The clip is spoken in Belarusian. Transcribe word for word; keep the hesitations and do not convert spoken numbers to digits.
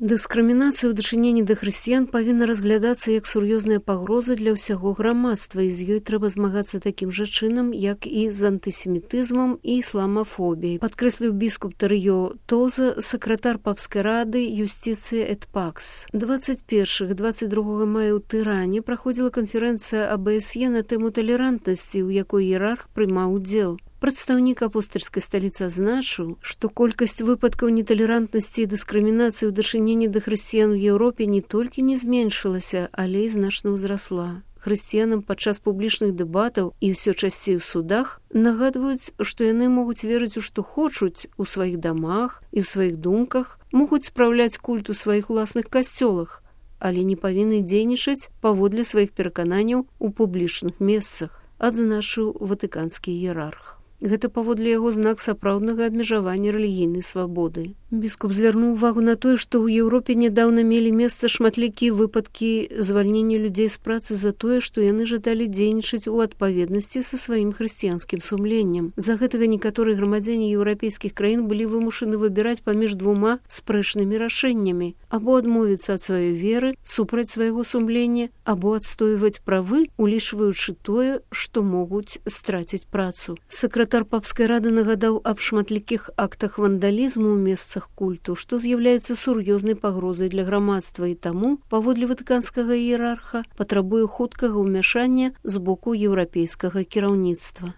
Дыскрымінацыя ў дачыненні да хрысціян павінна разглядацца як сур'ёзная пагроза для ўсяго грамадства, і з ёй трэба змагацца такім жа чынам, як і з антысемітызмам і ісламафобіяй, падкрэсліў біскуп Тарыё Тоза, сакратар папскай рады Юстицыя эт Пакс. дваццаць першага - дваццаць другога мая ў Тыране праходзіла канферэнцыя А Б С Е на тэму талерантнасці, у якой іерарх прымаў удзел. Прадстаўнік апостальскай сталіцы адзначыў, што колькасць выпадкаў неталерантнасці і дыскрымінацыі ў дачыненні да хрысціян у Еўропе не толькі не зменшылася, але і значна ўзрасла. Хрысціянам падчас публічных дэбатаў і ўсё часцей у судах нагадваюць, што яны могуць верыць у што хочуць у сваіх дамах і ў сваіх думках, могуць спраўляць культ у сваіх уласных касцёлах, але не павінны дзейнічаць паводле сваіх перакананняў у публічных месцах, адзначыў ватыканскі іерарх. Гэта паводле яго знак сапраўднага абмежавання рэлігійнай свабоды. Біскуп звярнуў увагу на тое, што ў Еўропе нядаўна мелі месца шматлікія выпадкі звальнення людзей з працы за тое, што яны жадалі дзейнічаць у адпаведнасці са сваім хрысціянскім сумленнем. За гэтага некаторыя грамадзяне еўрапейскіх краін былі вымушаны выбіраць паміж двума спрэчнымі рашэннямі: або адмовіцца ад сваёй веры супраць свайго сумлення, або адстойваць правы, улічваючы тое, што могуць страціць працу. Сакратар папскай рады нагадаў аб шматлікіх актах вандалізму ў месцах культу, што з'яўляецца сур'ёзнай пагрозай для грамадства, і таму, паводле ватыканскага іерарха, патрабуе хуткага ўмяшання з боку еўрапейскага кіраўніцтва.